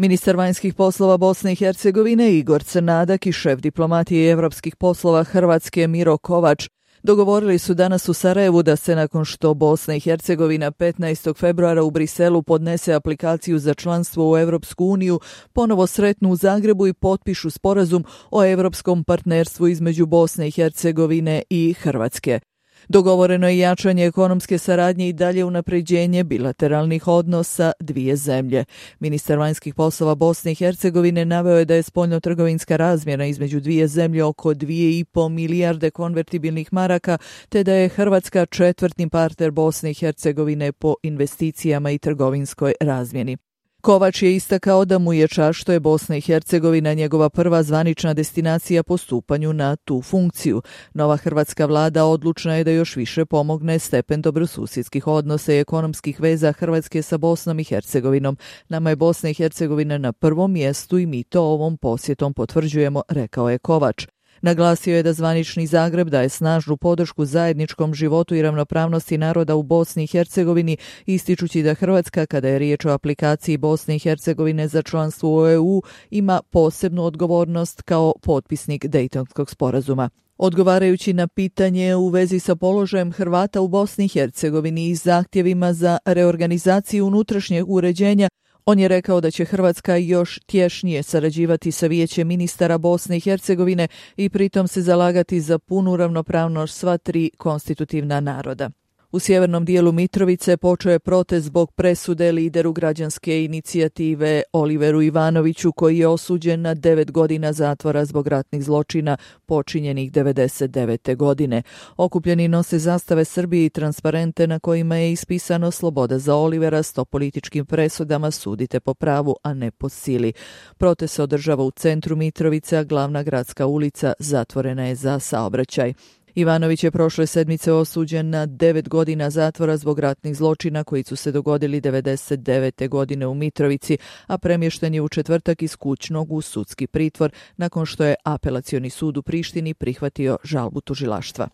Ministar vanjskih poslova Bosne i Hercegovine Igor Crnadak i šef diplomatije evropskih poslova Hrvatske Miro Kovač dogovorili su danas u Sarajevu da se nakon što Bosna i Hercegovina 15. februara u Briselu podnese aplikaciju za članstvo u Europsku uniju, ponovo sretnu u Zagrebu i potpišu sporazum o europskom partnerstvu između Bosne i Hercegovine i Hrvatske. Dogovoreno je jačanje ekonomske saradnje i dalje unapređenje bilateralnih odnosa dvije zemlje. Ministar vanjskih poslova Bosne i Hercegovine naveo je da je spoljnotrgovinska razmjena između dvije zemlje oko 2,5 milijarde konvertibilnih maraka, te da je Hrvatska četvrtni partner Bosne i Hercegovine po investicijama i trgovinskoj razmjeni. Kovač je istakao da mu je čast što je Bosna i Hercegovina njegova prva zvanična destinacija po stupanju na tu funkciju. Nova hrvatska vlada odlučna je da još više pomogne stepen dobrosusjedskih odnosa i ekonomskih veza Hrvatske sa Bosnom i Hercegovinom. Nama je Bosna i Hercegovina na prvom mjestu i mi to ovom posjetom potvrđujemo, rekao je Kovač. Naglasio je da zvanični Zagreb daje snažnu podršku zajedničkom životu i ravnopravnosti naroda u Bosni i Hercegovini, ističući da Hrvatska, kada je riječ o aplikaciji Bosne i Hercegovine za članstvo u EU, ima posebnu odgovornost kao potpisnik Dejtonskog sporazuma. Odgovarajući na pitanje u vezi sa položajem Hrvata u Bosni i Hercegovini i zahtjevima za reorganizaciju unutrašnjeg uređenja, on je rekao da će Hrvatska još tješnije sarađivati sa Vijećem ministara Bosne i Hercegovine i pritom se zalagati za punu ravnopravnost sva tri konstitutivna naroda. U sjevernom dijelu Mitrovice počeo je protest zbog presude lideru građanske inicijative Oliveru Ivanoviću, koji je osuđen na 9 godina zatvora zbog ratnih zločina počinjenih 1999. godine. Okupljeni nose zastave Srbije i transparente na kojima je ispisano sloboda za Olivera, 100 političkim presudama, sudite po pravu, a ne po sili. Protest se održava u centru Mitrovice, a glavna gradska ulica zatvorena je za saobraćaj. Ivanović je prošle sedmice osuđen na 9 godina zatvora zbog ratnih zločina koji su se dogodili 1999. godine u Mitrovici, a premješten je u četvrtak iz kućnog u sudski pritvor nakon što je apelacioni sud u Prištini prihvatio žalbu tužilaštva.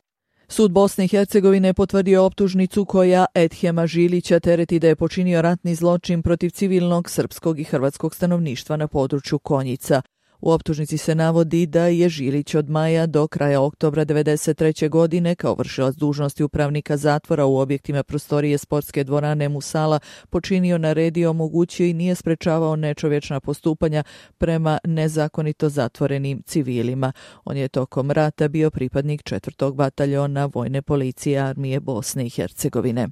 Sud Bosne i Hercegovine je potvrdio optužnicu koja Edhema Žilića tereti da je počinio ratni zločin protiv civilnog srpskog i hrvatskog stanovništva na području Konjica. U optužnici se navodi da je Žilić od maja do kraja oktobra 1993. godine kao vršilac dužnosti upravnika zatvora u objektima prostorije sportske dvorane Musala počinio, naredio, omogućio i nije sprečavao nečovječna postupanja prema nezakonito zatvorenim civilima. On je tokom rata bio pripadnik 4. bataljona vojne policije armije Bosne i Hercegovine.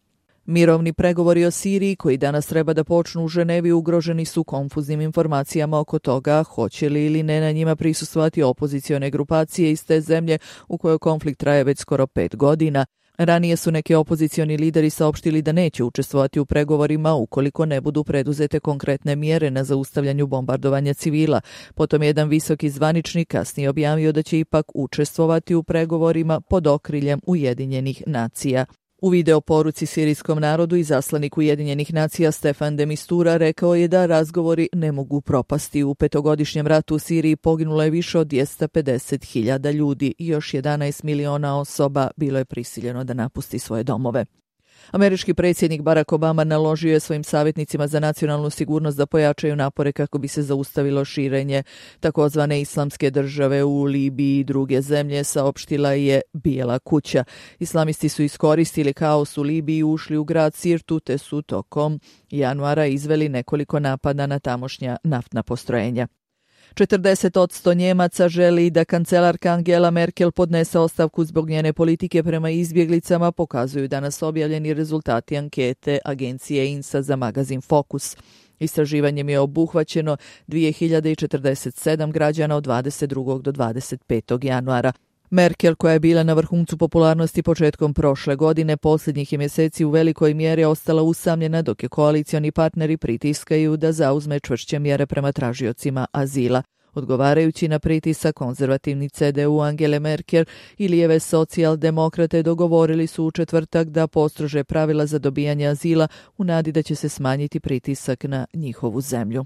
Mirovni pregovori o Siriji, koji danas treba da počnu u Ženevi, ugroženi su konfuznim informacijama oko toga hoće li ili ne na njima prisustvovati opozicione grupacije iz te zemlje u kojoj konflikt traje već skoro 5 godina. Ranije su neki opozicioni lideri saopštili da neće učestvovati u pregovorima ukoliko ne budu preduzete konkretne mjere na zaustavljanju bombardovanja civila. Potom jedan visoki zvaničnik kasnije objavio da će ipak učestvovati u pregovorima pod okriljem Ujedinjenih nacija. U video poruci sirijskom narodu izaslanik Ujedinjenih nacija Stefan de Mistura rekao je da razgovori ne mogu propasti. U 5-godišnjem ratu u Siriji poginulo je više od 250.000 ljudi i još 11 miliona osoba bilo je prisiljeno da napusti svoje domove. Američki predsjednik Barack Obama naložio je svojim savjetnicima za nacionalnu sigurnost da pojačaju napore kako bi se zaustavilo širenje takozvane islamske države u Libiji i druge zemlje, saopštila je Bijela kuća. Islamisti su iskoristili kaos u Libiji i ušli u grad Sirtu, te su tokom januara izveli nekoliko napada na tamošnja naftna postrojenja. 40% Njemaca želi da kancelarka Angela Merkel podnese ostavku zbog njene politike prema izbjeglicama, pokazuju danas objavljeni rezultati ankete agencije INSA za magazin Focus. Istraživanjem je obuhvaćeno 2047 građana od 22. do 25. januara. Merkel, koja je bila na vrhuncu popularnosti početkom prošle godine, posljednjih je mjeseci u velikoj mjeri ostala usamljena, dok je koalicioni partneri pritiskaju da zauzme čvršće mjere prema tražiocima azila. Odgovarajući na pritisak, konzervativni CDU Angele Merkel i lijeve socijaldemokrate dogovorili su u četvrtak da postrože pravila za dobijanje azila u nadi da će se smanjiti pritisak na njihovu zemlju.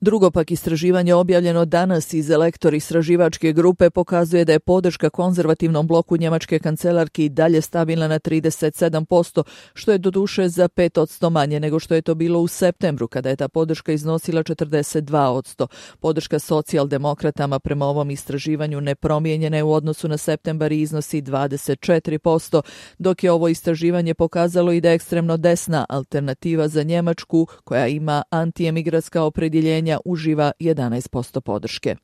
Drugo pak istraživanje objavljeno danas iz Elektor istraživačke grupe pokazuje da je podrška konzervativnom bloku njemačke kancelarki dalje stabilna na 37%, što je doduše za 5% manje nego što je to bilo u septembru, kada je ta podrška iznosila 42%. Podrška socijaldemokratama prema ovom istraživanju nepromijenjena je u odnosu na septembar i iznosi 24%, dok je ovo istraživanje pokazalo i da ekstremno desna alternativa za Njemačku, koja ima antiemigratska opredjeljenja, uživa 11% podrške.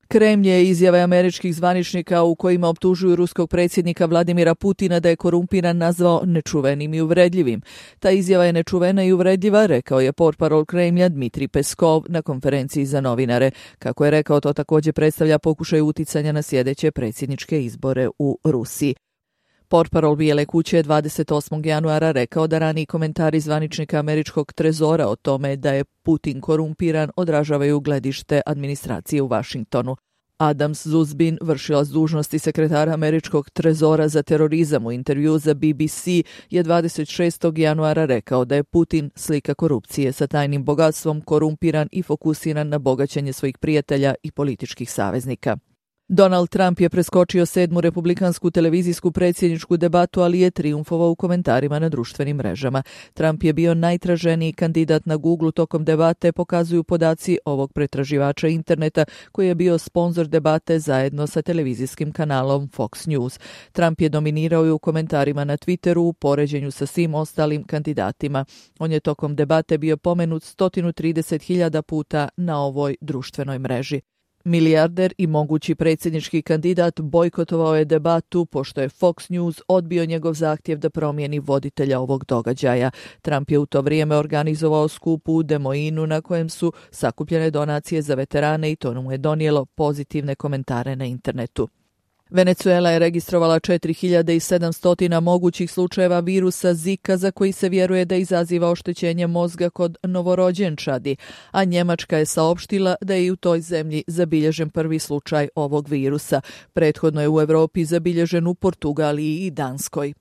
Kremlj je izjave američkih zvaničnika u kojima optužuju ruskog predsjednika Vladimira Putina da je korumpiran nazvao nečuvenim i uvredljivim. Ta izjava je nečuvena i uvredljiva, rekao je portparol Kremlja Dmitrij Peskov na konferenciji za novinare. Kako je rekao, to također predstavlja pokušaj uticanja na sljedeće predsjedničke izbore u Rusiji. Portparol Bijele kuće je 28. januara rekao da raniji komentari zvaničnika američkog trezora o tome da je Putin korumpiran odražavaju gledište administracije u Vašingtonu. Adam Zuzbin, vršilac dužnosti sekretara američkog trezora za terorizam, u intervju za BBC je 26. januara rekao da je Putin slika korupcije sa tajnim bogatstvom, korumpiran i fokusiran na bogaćenje svojih prijatelja i političkih saveznika. Donald Trump je preskočio 7. republikansku televizijsku predsjedničku debatu, ali je trijumfovao u komentarima na društvenim mrežama. Trump je bio najtraženiji kandidat na Google tokom debate, pokazuju podaci ovog pretraživača interneta koji je bio sponzor debate zajedno sa televizijskim kanalom Fox News. Trump je dominirao i u komentarima na Twitteru u poređenju sa svim ostalim kandidatima. On je tokom debate bio pomenut 130.000 puta na ovoj društvenoj mreži. Milijarder i mogući predsjednički kandidat bojkotovao je debatu pošto je Fox News odbio njegov zahtjev da promijeni voditelja ovog događaja. Trump je u to vrijeme organizovao skup u Des Moinesu na kojem su sakupljene donacije za veterane i to mu je donijelo pozitivne komentare na internetu. Venezuela je registrovala 4700 mogućih slučajeva virusa Zika za koji se vjeruje da izaziva oštećenje mozga kod novorođenčadi, a Njemačka je saopštila da je i u toj zemlji zabilježen prvi slučaj ovog virusa. Prethodno je u Europi zabilježen u Portugaliji i Danskoj.